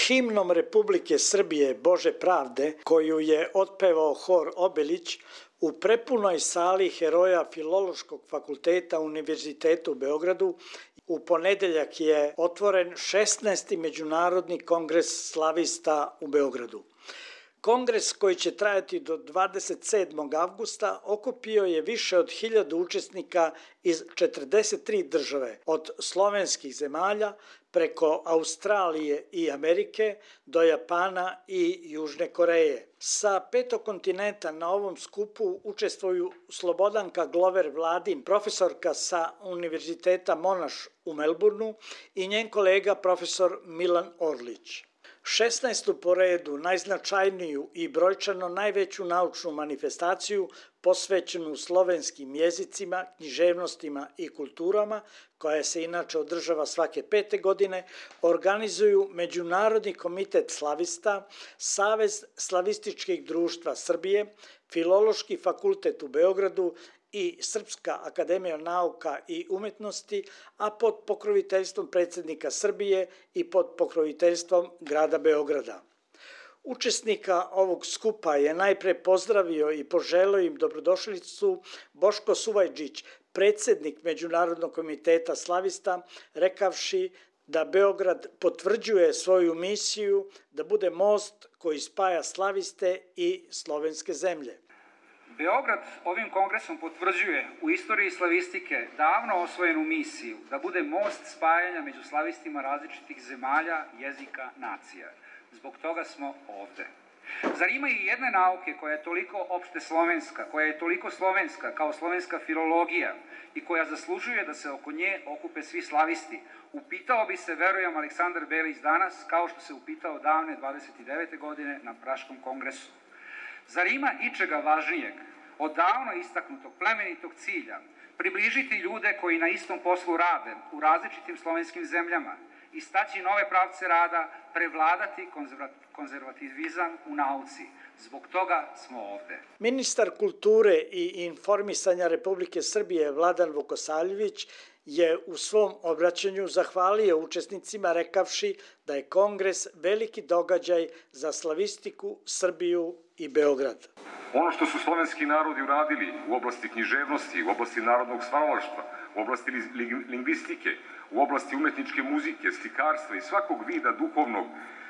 Himnom Republike Srbije Bože pravde, koju je otpevao hor Obelić u prepunoj sali heroja Filološkog fakulteta Univerziteta u Beogradu, u ponedeljak je otvoren 16. Međunarodni kongres slavista u Beogradu. Kongres, koji će trajati do 27. avgusta, okupio je više od 1000 učesnika iz 43 države, od slovenskih zemalja preko Australije i Amerike do Japana i Južne Koreje. Sa 5. kontinenta na ovom skupu učestvuju Slobodanka Glover Vladin, profesorka sa Univerziteta Monaš u Melbourneu, i njen kolega profesor Milan Orlić. 16. po redu, najznačajniju i brojčano najveću naučnu manifestaciju posvećenu slovenskim jezicima, književnostima i kulturama, koja se inače održava svake 5. godine, organizuju Međunarodni komitet slavista, Savez slavističkih društva Srbije, Filološki fakultet u Beogradu i Srpska akademija nauka i umetnosti, a pod pokroviteljstvom predsjednika Srbije i pod pokroviteljstvom grada Beograda. Učesnika ovog skupa je najpre pozdravio i poželeo im dobrodošlicu Boško Suvajđić, predsjednik Međunarodnog komiteta slavista, rekavši da Beograd potvrđuje svoju misiju da bude most koji spaja slaviste i slovenske zemlje. Beograd ovim kongresom potvrđuje u istoriji slavistike davno osvojenu misiju da bude most spajanja među slavistima različitih zemalja, jezika, nacija. Zbog toga smo ovde. Zar ima i jedne nauke koja je toliko opšte slovenska, koja je toliko slovenska kao slovenska filologija i koja zaslužuje da se oko nje okupe svi slavisti? Upitao bi se, verujem, Aleksandar Belić danas, kao što se upitao davne 29. godine na Praškom kongresu. Zar ima ičega važnijeg od davno istaknutog plemenitog cilja približiti ljude koji na istom poslu rade u različitim slovenskim zemljama, istaći nove pravce rada, prevladati konzervativizam u nauci? Zbog toga smo ovde. Ministar kulture i informisanja Republike Srbije Vladan Vukosavljević je u svom obraćanju zahvalio učesnicima, rekavši da je kongres veliki događaj za slavistiku, Srbiju i Beograd. Ono što su slovenski narodi uradili u oblasti književnosti, u oblasti narodnog stvaralaštva, u oblasti lingvistike, u oblasti umetničke muzike, slikarstva i svakog vida duhovnog,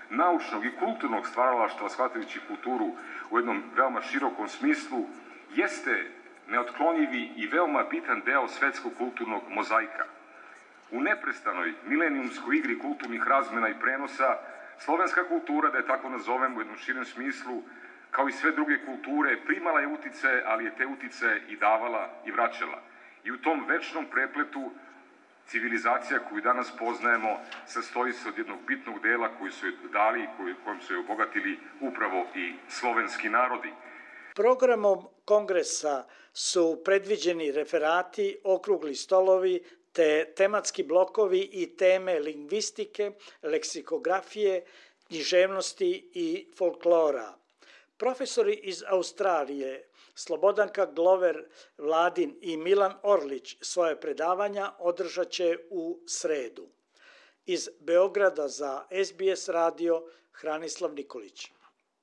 naučnog i kulturnog stvaralaštva, shvatajući kulturu u jednom veoma širokom smislu, jeste neotklonjivi i veoma bitan deo svetskog kulturnog mozaika. U neprestanoj milenijumskoj igri kulturnih razmena i prenosa, slovenska kultura, da je tako nazovem u jednom širem smislu, kao i sve druge kulture, primala je utice, ali je te utice i davala i vraćala. I u tom večnom prepletu civilizacija koju danas poznajemo sastoji se od jednog bitnog dela koji su je dali i kojom su je obogatili upravo i slovenski narodi. Programom kongresa su predviđeni referati, okrugli stolovi, te tematski blokovi i teme lingvistike, leksikografije, književnosti i folklora. Profesori iz Australije Slobodanka Glover Vladin i Milan Orlić svoje predavanja održat će u sredu. Iz Beograda za SBS radio Hranislav Nikolić.